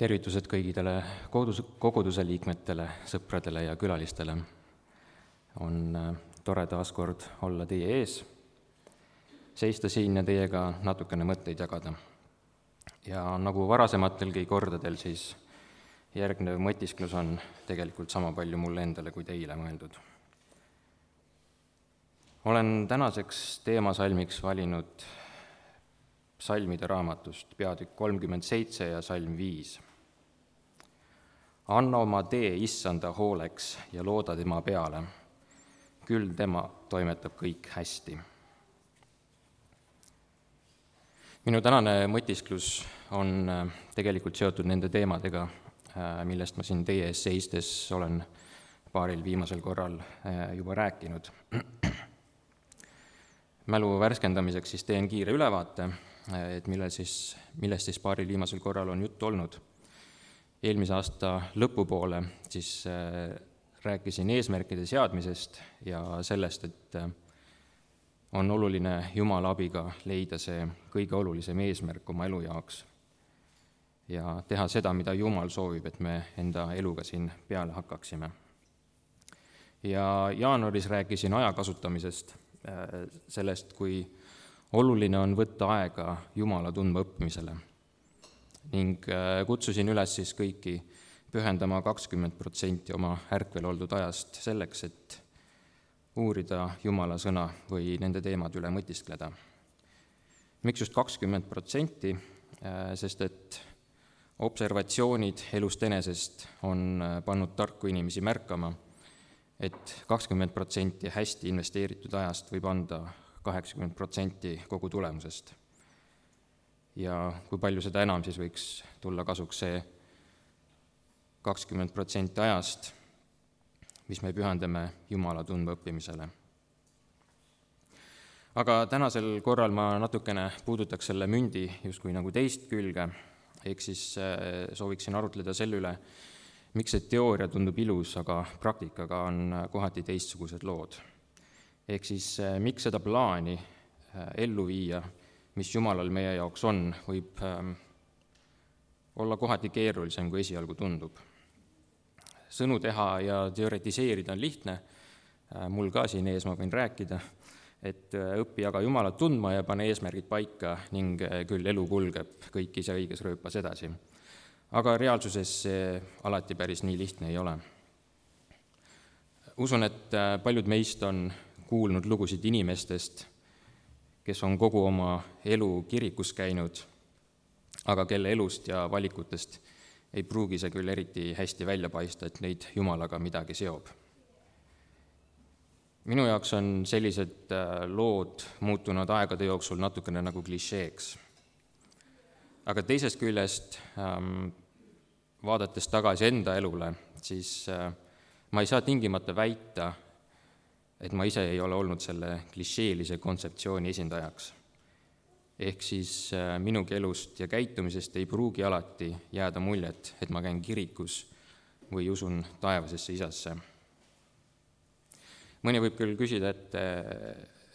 Tervitused kõigidele koguduse liikmetele, sõpradele ja külalistele. On tore taas kord olla teie ees, seista siin ja teiega natukene mõtteid jagada. Ja nagu varasematelgi kordadel, siis järgnev mõtisklus on tegelikult sama palju mulle endale kui teile mõeldud. Olen tänaseks teemasalmiks valinud salmide raamatust peatükk 37 ja salm 5. Anna oma tee issanda hooleks ja looda tema peale, küll tema toimetab kõik hästi. Minu tänane mõtisklus on tegelikult seotud nende teemadega, millest ma siin teie ees seistes olen paaril viimasel korral juba rääkinud. Mälu värskendamiseks siis teen kiire ülevaate, et millest siis paaril viimasel korral on juttu olnud. Eelmise aasta lõpupoole siis rääkisin eesmärkide seadmisest ja sellest, et on oluline Jumala abiga leida see kõige olulisem eesmärk oma elu jaoks ja teha seda, mida Jumal soovib, et me enda eluga siin peale hakkaksime. Ja jaanuaris rääkisin aja kasutamisest, sellest, kui oluline on võtta aega Jumala tundma õppimisele ning kutsusin üles siis kõiki pühendama 20% oma ärkvel oldud ajast selleks, et uurida Jumala sõna või nende teemade üle mõtiskleda. Miks just 20%? Sest et observatsioonid elust enesest on pannud tarku inimesi märkama, et 20% hästi investeeritud ajast võib anda 80% kogu tulemusest. Ja kui palju seda enam siis võiks tulla kasuks see 20% ajast, mis me pühendame Jumala tundma õppimisele. Aga tänasel korral ma natukene puudutaks selle mündi justkui nagu teist külge, ehk siis sooviksin arutleda selle üle, miks see teooria tundub ilus, aga praktikaga on kohati teistsugused lood. Ehk siis miks seda plaani ellu viia, mis Jumalal meie jaoks on, võib olla kohati keerulisem, kui esialgu tundub. Sõnu teha ja teoretiseerida on lihtne, mul ka siin ees ma võin rääkida, et õpi aga Jumalat tundma ja pane eesmärgid paika ning küll elu kulgeb kõik ise õiges rööpas edasi. Aga reaalsuses see alati päris nii lihtne ei ole. Usun, et paljud meist on kuulnud lugusid inimestest, kes on kogu oma elu kirikus käinud, aga kelle elust ja valikutest ei pruugi see küll eriti hästi välja paista, et neid Jumalaga midagi seob. Minu jaoks on sellised lood muutunud aegade jooksul natukene nagu klišeeks. Aga teisest küljest, vaadates tagasi enda elule, siis ma ei saa tingimata väita, et ma ise ei ole olnud selle klišeelise kontseptsiooni esindajaks. Ehk siis minugi elust ja käitumisest ei pruugi alati jääda muljet, et ma käin kirikus või usun taevasesse isasse. Mõni võib küll küsida,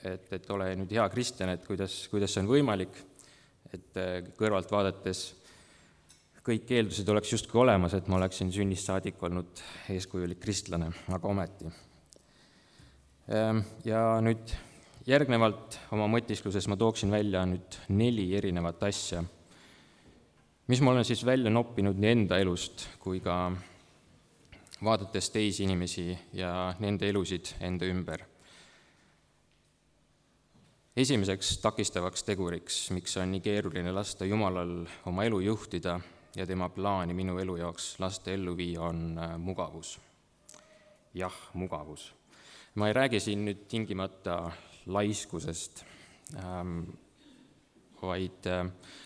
et ole nüüd hea kristjan, et kuidas see on võimalik, et kõrvalt vaadates kõik eeldused oleks justkui olemas, et ma oleksin sünnist saadik olnud eeskujulik kristlane, aga ometi. Ja nüüd järgnevalt oma mõtiskluses ma tooksin välja nüüd 4 erinevat asja, mis ma olen siis välja noppinud nii enda elust kui ka vaadates teisi inimesi ja nende elusid enda ümber. Esimeseks takistavaks teguriks, miks on nii keeruline lasta Jumalal oma elu juhtida ja tema plaani minu elu jaoks lasta ellu viia, on mugavus. Jah, mugavus. Ma ei räägi siin nüüd tingimata laiskusest, vaid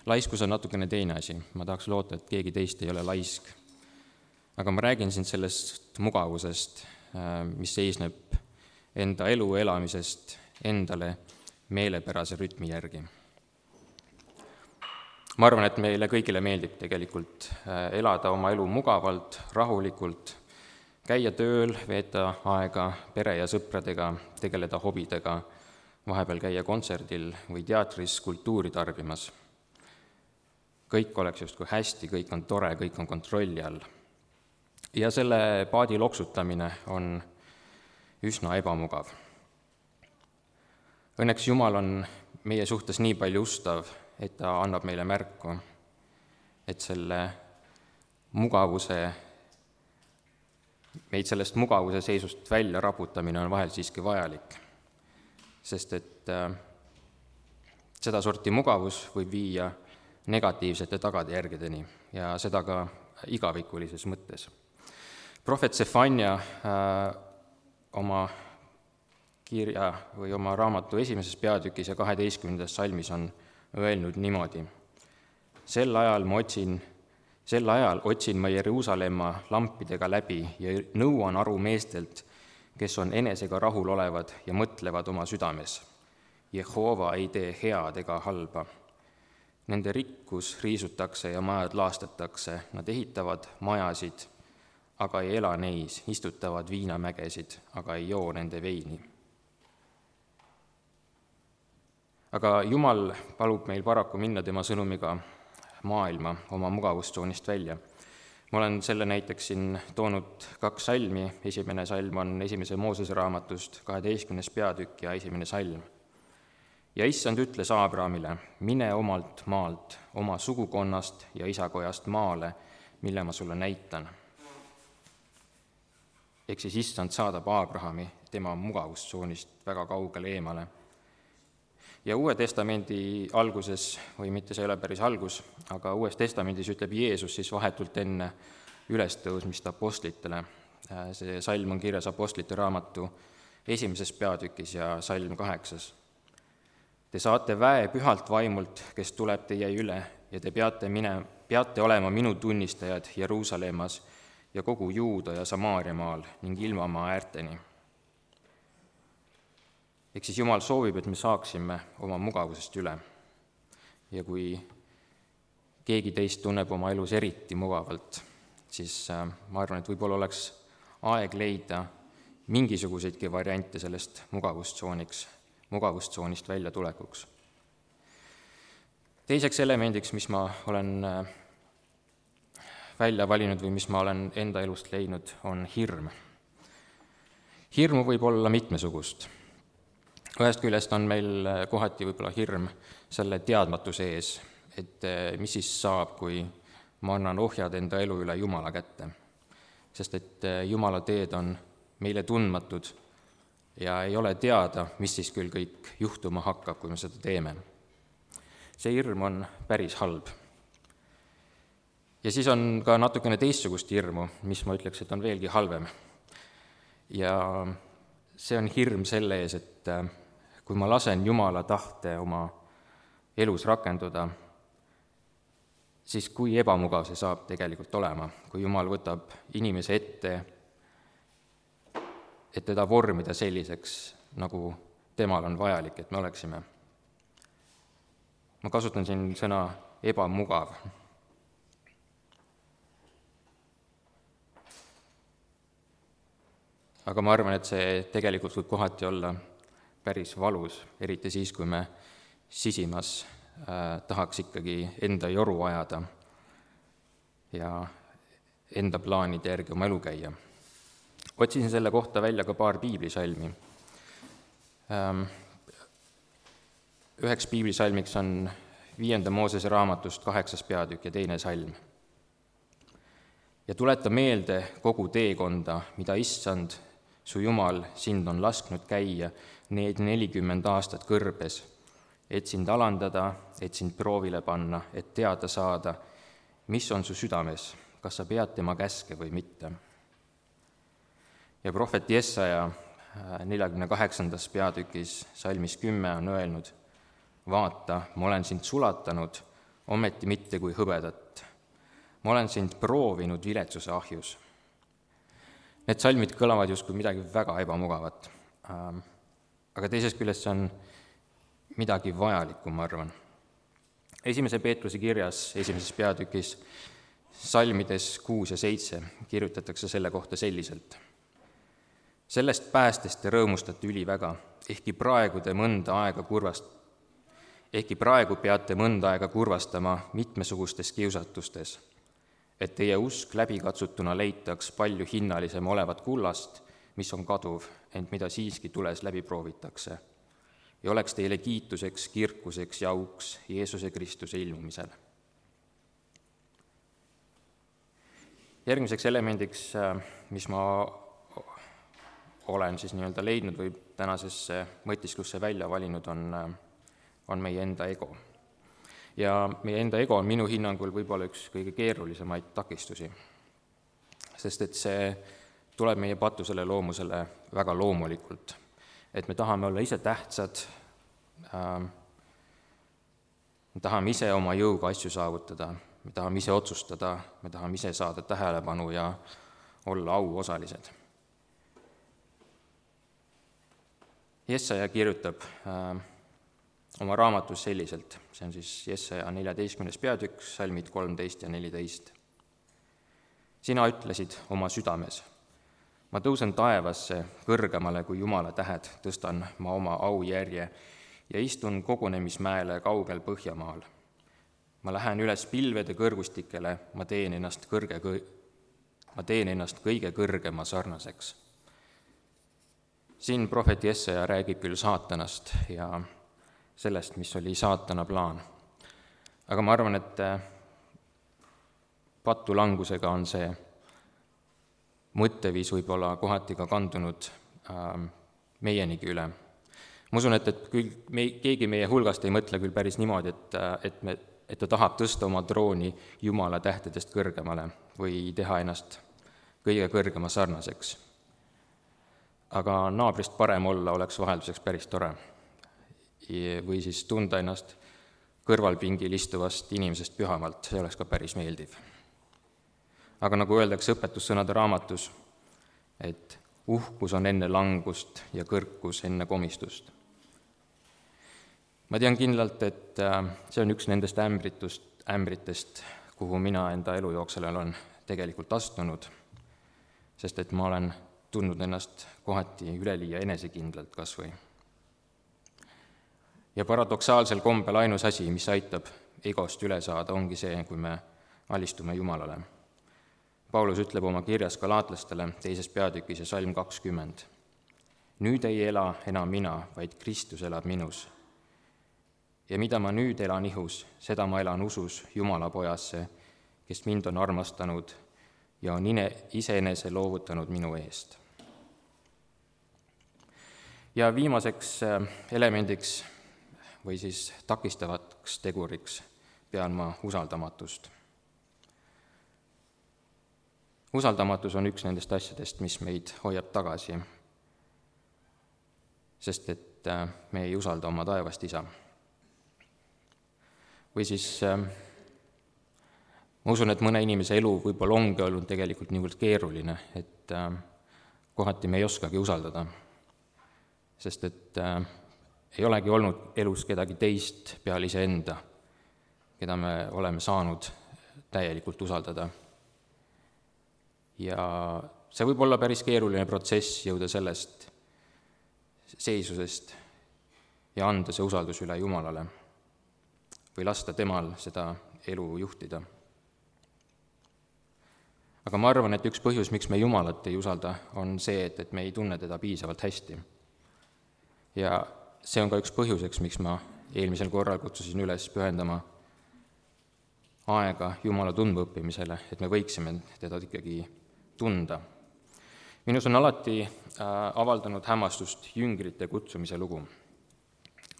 laiskus on natukene teine asi. Ma tahaks loota, et keegi teist ei ole laisk. Aga ma räägin siin sellest mugavusest, mis seisneb enda elu elamisest endale meelepärase rütmi järgi. Ma arvan, et meile kõigile meeldib tegelikult elada oma elu mugavalt, rahulikult, käia tööl, veeta aega pere ja sõpradega, tegeleda hobidega, vahepeal käia kontserdil või teatris kultuuri tarbimas. kõik oleks justkui hästi, kõik on tore, kõik on kontrolli all. Ja selle paadi loksutamine on üsna ebamugav. Õnneks Jumal on meie suhtes nii palju ustav, et ta annab meile märku, et meid sellest mugavuse seisust välja raputamine on vahel siiski vajalik, sest et sedasorti mugavus võib viia negatiivsete tagajärgedeni ja seda ka igavikulises mõttes. Prohvet Sefanja oma kirja või oma raamatu 1. peatükis ja 12. salmis on öelnud niimoodi: Sel ajal otsin ma Jeruusalemma lampidega läbi ja nõuan aru meestelt, kes on enesega rahul olevad ja mõtlevad oma südames. Jehova ei tee head ega halba. Nende rikkus riisutakse ja majad laastatakse, nad ehitavad majasid, aga ei ela neis, istutavad viinamägesid, aga ei joo nende veini. Aga Jumal palub meil paraku minna tema sõnumiga maailma oma mugavustsoonist välja. Ma olen selle näiteks siin toonud 2 salmi. Esimene salm on 1. Moosese raamatust, 12. peatükk ja 1. salm. Ja issand ütles Abrahamile: mine omalt maalt, oma sugukonnast ja isakojast maale, mille ma sulle näitan. Ehk siis issand saadab Abrahami tema mugavustsoonist väga kaugele eemale. Ja Uue Testamendi alguses, või mitte see ei ole päris algus, aga Uues Testamendis ütleb Jeesus siis vahetult enne ülestõusmist apostlitele. See salm on kirjas apostlite raamatu 1. peatükis ja salm 8. Te saate väe pühalt vaimult, kes tuleb teie üle, ja te peate olema minu tunnistajad Jeruusalemmas ja kogu Juuda ja Samaaria maal ning ilmamaa äärteni. Ehk siis Jumal soovib, et me saaksime oma mugavusest üle. Ja kui keegi teist tunneb oma elus eriti mugavalt, siis ma arvan, et võib-olla oleks aeg leida mingisuguseidki variante sellest mugavustsoonist välja tulekuks. Teiseks elemendiks, mis ma olen välja valinud või mis ma olen enda elust leidnud, on hirm. Hirmu võib olla mitmesugust. Ühest küljest on meil kohati võib-olla hirm selle teadmatuse ees, et mis siis saab, kui ma annan ohjad enda elu üle Jumala kätte. Sest et Jumala teed on meile tundmatud ja ei ole teada, mis siis küll kõik juhtuma hakkab, kui me seda teeme. See hirm on päris halb. Ja siis on ka natukene teistsugust hirmu, mis ma ütleks, et on veelgi halvem. Ja see on hirm selle ees, et kui ma lasen Jumala tahte oma elus rakenduda, siis kui ebamugav see saab tegelikult olema, kui Jumal võtab inimese ette, et teda vormida selliseks, nagu temal on vajalik, et me oleksime. Ma kasutan siin sõna ebamugav. Aga ma arvan, et see tegelikult võib kohati olla päris valus, eriti siis, kui me sisimas tahaks ikkagi enda joru ajada ja enda plaanide järgi oma elu käia. Otsisin selle kohta välja ka paar piiblisalmi. Üheks piiblisalmiks on 5. Moosese raamatust 8. peatükk ja 2. salm. Ja tuleta meelde kogu teekonda, mida issand, su Jumal, sind on lasknud käia need 40 aastat kõrbes, et sind alandada, et sind proovile panna, et teada saada, mis on su südames, kas sa pead tema käske või mitte. Ja prohvet Jesaja 48. peatükis salmis 10 on öelnud: vaata, ma olen sind sulatanud, ometi mitte kui hõbedat. Ma olen sind proovinud viletsuse ahjus. Need salmid kõlavad justkui midagi väga ebamugavat, aga teisest küljest see on midagi vajalikku, ma arvan. 1. Peetruse kirjas 1. peatükis salmides 6 ja 7 kirjutatakse selle kohta selliselt: sellest päästest te rõõmustate üliväga, ehkki praegu te mõnda aega ehkki praegu peate mõnda aega kurvastama mitmesugustes kiusatustes, et teie usk läbikatsutuna leitaks palju hinnalisem olevat kullast, mis on kaduv, ent mida siiski tules läbi proovitakse, ja oleks teile kiituseks, kirkuseks ja auks Jeesuse Kristuse ilmumisel. Järgmiseks elemendiks, mis ma olen siis nii-öelda leidnud või tänasesse mõtisklusse välja valinud, on meie enda ego. Ja meie enda ego on minu hinnangul võib-olla üks kõige keerulisemaid takistusi, sest et see tuleb meie patusele loomusele väga loomulikult, et me tahame olla ise tähtsad, me tahame ise oma jõuga asju saavutada, me tahame ise otsustada, me tahame ise saada tähelepanu ja olla auosalised. Jesaja kirjutab oma raamatus selliselt, see on siis Jesaja 14. peatükk, salmid 13 ja 14. Sina ütlesid oma südames, ma tõusen taevasse kõrgemale kui Jumala tähed, tõstan ma oma aujärje ja istun kogunemismäele kaugel Põhjamaal. Ma lähen üles pilvede kõrgustikele, ma teen ennast kõige kõrgema sarnaseks. Siin prohvet Jesaja räägib küll saatanast ja sellest, mis oli saatana plaan. Aga ma arvan, et patulangusega on see mõtteviis võib-olla kohati ka kandunud meienigi üle. Ma usun, et keegi meie hulgast ei mõtle küll päris niimoodi, et ta tahab tõsta oma trooni Jumala tähtedest kõrgemale või teha ennast kõige kõrgema sarnaseks. Aga naabrist parem olla oleks vahelduseks päris tore. Või siis tunda ennast kõrvalpingil istuvast inimesest pühamalt, see oleks ka päris meeldiv. Aga nagu öeldakse õpetussõnade raamatus, et uhkus on enne langust ja kõrkus enne komistust. Ma tean kindlalt, et see on üks nendest ämbritest, kuhu mina enda elujooksel olen tegelikult astunud, sest et ma olen tundnud ennast kohati üleliia enesekindlalt kas või. Ja paradoksaalsel kombel ainus asi, mis aitab egost üle saada, ongi see, kui me alistume Jumalale. Paulus ütleb oma kirjas galaatlastele 2. peatükis ja salm 20. Nüüd ei ela enam mina, vaid Kristus elab minus. Ja mida ma nüüd elan ihus, seda ma elan usus Jumala pojasse, kes mind on armastanud ja on iseenese loovutanud minu eest. Ja viimaseks elemendiks või siis takistavaks teguriks pean ma usaldamatust. Usaldamatus on üks nendest asjadest, mis meid hoiab tagasi, sest et me ei usalda oma taevast isa. Või siis ma usun, et mõne inimese elu võib-olla ongi olnud tegelikult niivõrd keeruline, et kohati me ei oskagi usaldada, sest et ei olegi olnud elus kedagi teist peale iseenda, keda me oleme saanud täielikult usaldada. Ja see võib olla päris keeruline protsess jõuda sellest seisusest ja anda see usaldus üle Jumalale või lasta temal seda elu juhtida. Aga ma arvan, et üks põhjus, miks me Jumalat ei usalda, on see, et me ei tunne teda piisavalt hästi. Ja see on ka üks põhjuseks, miks ma eelmisel korral kutsusin üles pühendama aega Jumala tundmaõppimisele, et me võiksime teda ikkagi tunda. Minus on alati avaldanud hämmastust jüngrite kutsumise lugu.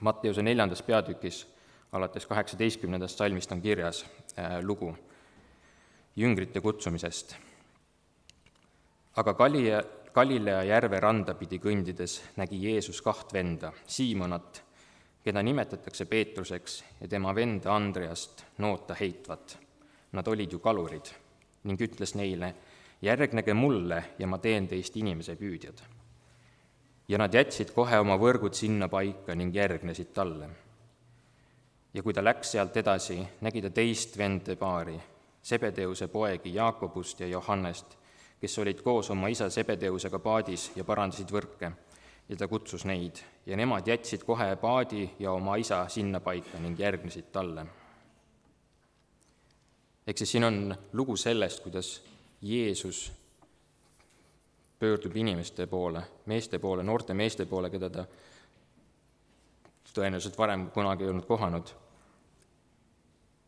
Matteuse 4. peatükis alates 18. salmist on kirjas lugu jüngrite kutsumisest. Aga Galilea järve randa pidi kõndides nägi Jeesus 2 venda, Siimonat, keda nimetatakse Peetruseks, ja tema venda Andreast noota heitvat. Nad olid ju kalurid ning ütles neile, järgnege mulle ja ma teen teist inimese püüdjad. Ja nad jätsid kohe oma võrgud sinna paika ning järgnesid talle. Ja kui ta läks sealt edasi, nägi ta teist vende paari, Sebedeuse poegi Jaakobust ja Johannest, kes olid koos oma isa Sebedeusega paadis ja parandasid võrke. ja ta kutsus neid ja nemad jätsid kohe paadi ja oma isa sinna paika ning järgnesid talle. Ehk siis siin on lugu sellest, kuidas Jeesus pöördub inimeste poole, meeste poole, noorte meeste poole, keda ta tõenäoliselt varem kunagi ei olnud kohanud,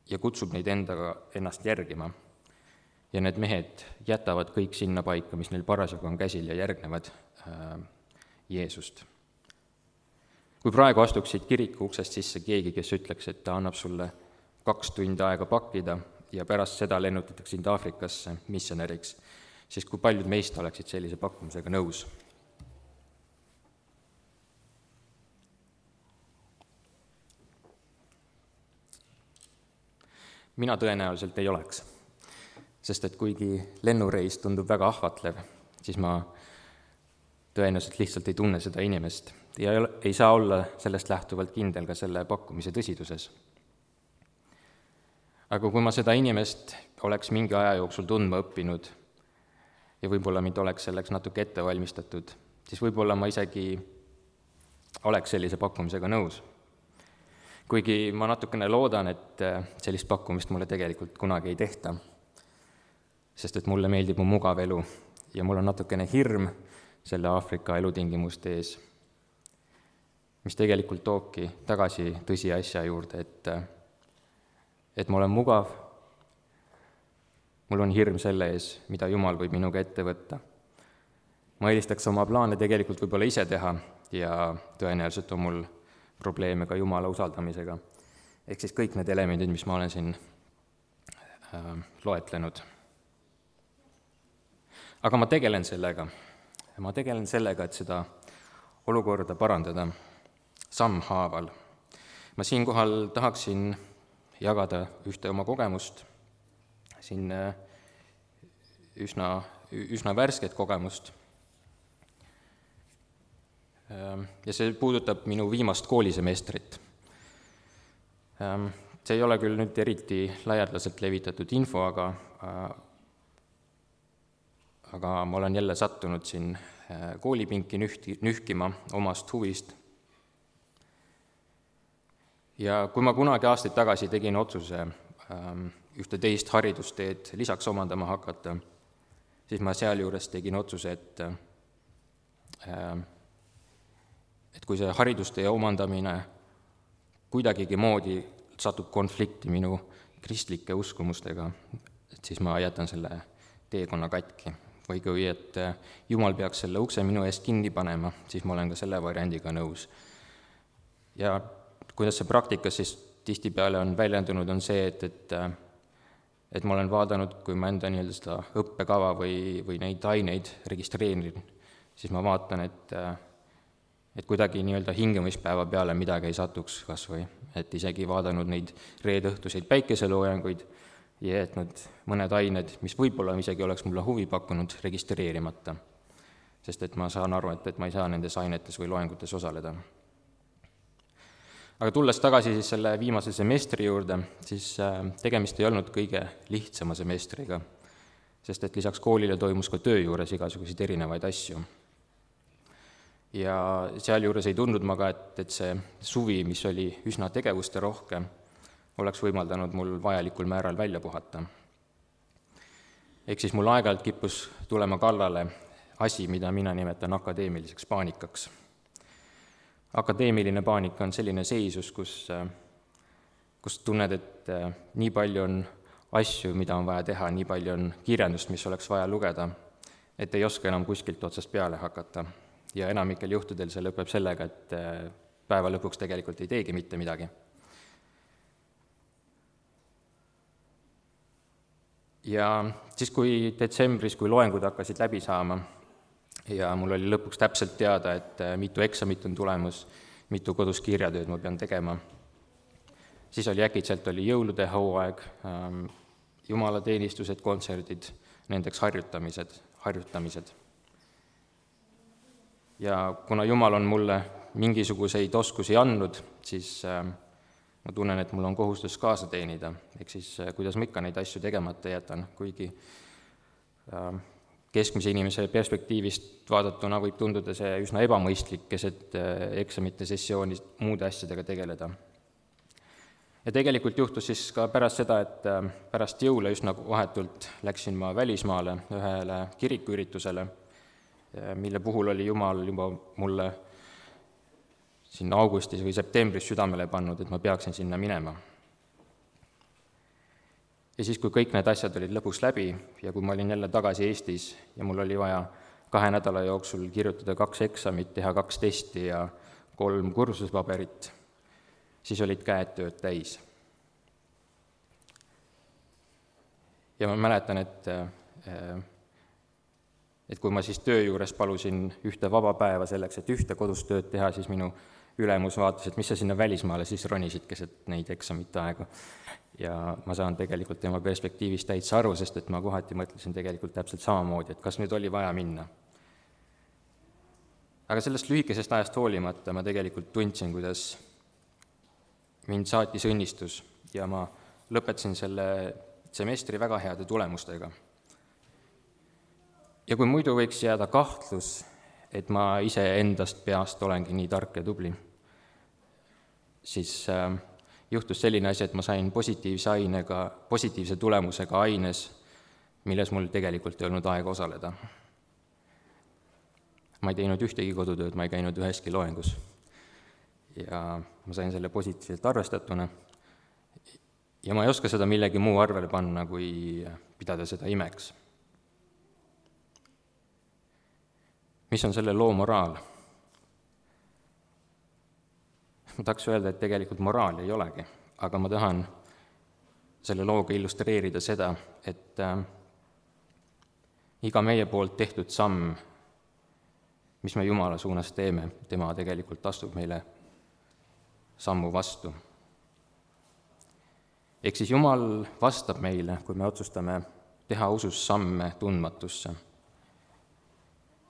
ja kutsub neid ennast järgima. Ja need mehed jätavad kõik sinna paika, mis neil parasjagu on käsil, ja järgnevad Jeesust. Kui praegu astuksid kiriku uksest sisse keegi, kes ütleks, et ta annab sulle 2 tundi aega pakkida ja pärast seda lennutatakse sind Aafrikasse missionäriks, siis kui paljud meist oleksid sellise pakkumisega nõus? Mina tõenäoliselt ei oleks, sest et kuigi lennureis tundub väga ahvatlev, siis ma tõenäoliselt lihtsalt ei tunne seda inimest ja ei saa olla sellest lähtuvalt kindel ka selle pakkumise tõsiduses. Aga kui ma seda inimest oleks mingi aja jooksul tundma õppinud ja võib-olla mind oleks selleks natuke ette valmistatud, siis võib-olla ma isegi oleks sellise pakkumisega nõus. Kuigi ma natukene loodan, et sellist pakkumist mulle tegelikult kunagi ei tehta, sest et mulle meeldib mu mugav elu ja mul on natukene hirm selle Aafrika elutingimuste ees, mis tegelikult toobki tagasi tõsiasja juurde, et ma olen mugav, mul on hirm selle ees, mida Jumal võib minuga ette võtta. Ma eelistaks oma plaane tegelikult võib-olla ise teha ja tõenäoliselt on mul probleeme ka Jumala usaldamisega. Ehk siis kõik need elemendid, mis ma olen siin loetlenud. Aga ma tegelen sellega. Ma tegelen sellega, et seda olukorda parandada sammhaaval. Ma siinkohal tahaksin jagada ühte oma kogemust, siin üsna värsket kogemust. Ja see puudutab minu viimast koolisemestrit. See ei ole küll nüüd eriti laialdaselt levitatud info, aga ma olen jälle sattunud siin koolipinki nühkima omast huvist. Ja kui ma kunagi aastaid tagasi tegin otsuse ühte teist haridusteed lisaks omandama hakata, siis ma sealjuures tegin otsuse, et kui see haridustee omandamine kuidagigi moodi satub konflikti minu kristlike uskumustega, et siis ma jätan selle teekonna katki. Või kui et Jumal peaks selle ukse minu eest kinni panema, siis ma olen ka selle variandiga nõus. Ja kuidas see praktikas siis tihtipeale on väljendunud, on see, et ma olen vaadanud, kui ma enda nii-öelda seda õppekava või neid aineid registreerin, siis ma vaatan, et kuidagi nii-öelda hingamispäeva peale midagi ei satuks kas või, et isegi vaadanud neid reedõhtuseid päikeseloojanguid ja jätnud mõned ained, mis võib-olla isegi oleks mulle huvi pakkunud, registreerimata. Sest et ma saan aru, et ma ei saa nendes ainetes või loengutes osaleda. Aga tulles tagasi siis selle viimase semestri juurde, siis tegemist ei olnud kõige lihtsama semestriga, sest et lisaks koolile toimus ka töö juures igasuguseid erinevaid asju. Ja sealjuures ei tundnud ma ka, et see suvi, mis oli üsna tegevuste rohke, oleks võimaldanud mul vajalikul määral välja puhata. Ehk siis mul aeg-ajalt kippus tulema kallale asi, mida mina nimetan akadeemiliseks paanikaks. Akadeemiline paanika on selline seisus, kus tunned, et nii palju on asju, mida on vaja teha, nii palju on kirjandust, mis oleks vaja lugeda, et ei oska enam kuskilt otsast peale hakata. Ja enamikel juhtudel see lõpeb sellega, et päeva lõpuks tegelikult ei teegi mitte midagi. Ja siis, kui detsembris, kui loengud hakkasid läbi saama ja mul oli lõpuks täpselt teada, et mitu eksamit on tulemus, mitu kodus kirjatööd ma pean tegema, siis oli äkitselt jõulude hooaeg, jumalateenistused, kontserdid, nendeks harjutamised. Ja kuna Jumal on mulle mingisuguseid oskusi andnud, siis ma tunnen, et mul on kohustus kaasa teenida. Ehk siis, kuidas ma ikka neid asju tegemata jätan, kuigi Keskmise inimese perspektiivist vaadatuna võib tunduda see üsna ebamõistlik keset eksamite sessiooni muude asjadega tegeleda. Ja tegelikult juhtus siis ka pärast seda, et pärast jõule üsna vahetult läksin ma välismaale ühele kirikuüritusele, mille puhul oli Jumal juba mulle siin augustis või septembris südamele pannud, et ma peaksin sinna minema. Ja siis, kui kõik need asjad olid lõpuks läbi ja kui ma olin jälle tagasi Eestis ja mul oli vaja 2 nädala jooksul kirjutada 2 eksamit, teha 2 testi ja 3 kursuspaberit, siis olid käed tööd täis. Ja ma mäletan, et kui ma siis töö juures palusin ühte vaba päeva selleks, et ühte kodus tööd teha, siis minu ülemus vaatas, et mis sa sinna välismaale siis ronisid keset neid eksamite aega. Ja ma saan tegelikult tema perspektiivist täitsa aru, sest et ma kohati mõtlesin tegelikult täpselt samamoodi, et kas nüüd oli vaja minna. Aga sellest lühikesest ajast hoolimata ma tegelikult tundsin, kuidas mind saatis õnnistus ja ma lõpetasin selle semestri väga heade tulemustega. Ja kui muidu võiks jääda kahtlus, et ma ise endast peast olengi nii tark ja tubli, siis juhtus selline asi, et ma sain positiivse tulemusega aines, milles mul tegelikult ei olnud aega osaleda. Ma ei teinud ühtegi kodutööd, ma ei käinud üheski loengus. Ja ma sain selle positiivselt arvestatuna ja ma ei oska seda millegi muu arvele panna, kui pidada seda imeks. Mis on selle loo moraal? Ma tahaks öelda, et tegelikult moraali ei olegi, aga ma tahan selle looga illustreerida seda, et iga meie poolt tehtud samm, mis me Jumala suunas teeme, tema tegelikult astub meile sammu vastu. Ehk siis Jumal vastab meile, kui me otsustame teha usus samme tundmatusse.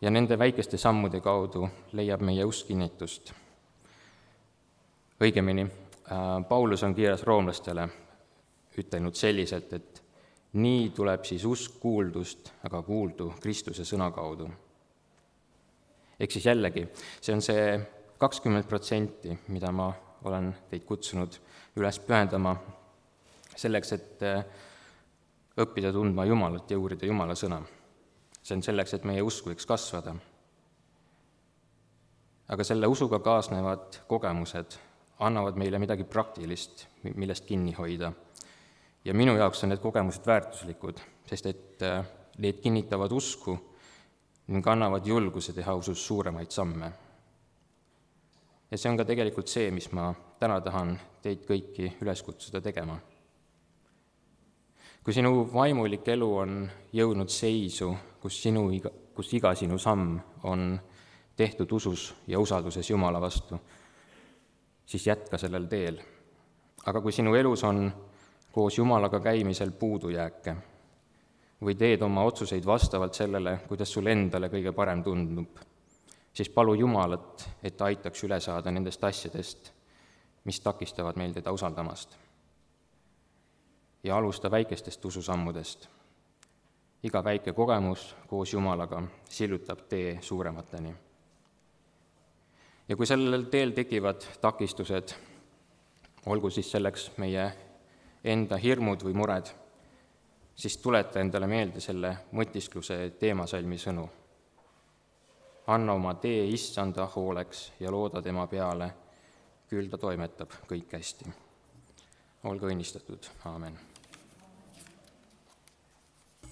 Ja nende väikeste sammude kaudu leiab meie usk kinnitust. Õigemini, Paulus on kirjas roomlastele ütelnud selliselt, et nii tuleb siis usk kuuldust, aga kuuldu Kristuse sõna kaudu. Ehk siis jällegi, see on see 20%, mida ma olen teid kutsunud üles pühendama selleks, et õppida tundma Jumalat ja uurida Jumala sõna. See on selleks, et meie usk võiks kasvada. Aga selle usuga kaasnevad kogemused annavad meile midagi praktilist, millest kinni hoida. Ja minu jaoks on need kogemused väärtuslikud, sest et need kinnitavad usku ning annavad julguse teha usus suuremaid samme. Ja see on ka tegelikult see, mis ma täna tahan teid kõiki üles kutsuda tegema. Kui sinu vaimulik elu on jõudnud seisu, kus iga sinu samm on tehtud usus ja usalduses Jumala vastu, siis jätka sellel teel. Aga kui sinu elus on koos Jumalaga käimisel puudujääke või teed oma otsuseid vastavalt sellele, kuidas sul endale kõige parem tundub, siis palu Jumalat, et ta aitaks üle saada nendest asjadest, mis takistavad meil teda usaldamast. Ja alusta väikestest ususammudest. Iga väike kogemus koos Jumalaga sillutab tee suuremateni. Ja kui sellel teel tekivad takistused, olgu siis selleks meie enda hirmud või mured, siis tuleta endale meelde selle mõtiskluse teemasalmi sõnu. Anna oma tee Issanda hooleks ja looda tema peale, küll ta toimetab kõik hästi. Olge õnnistatud, aamen.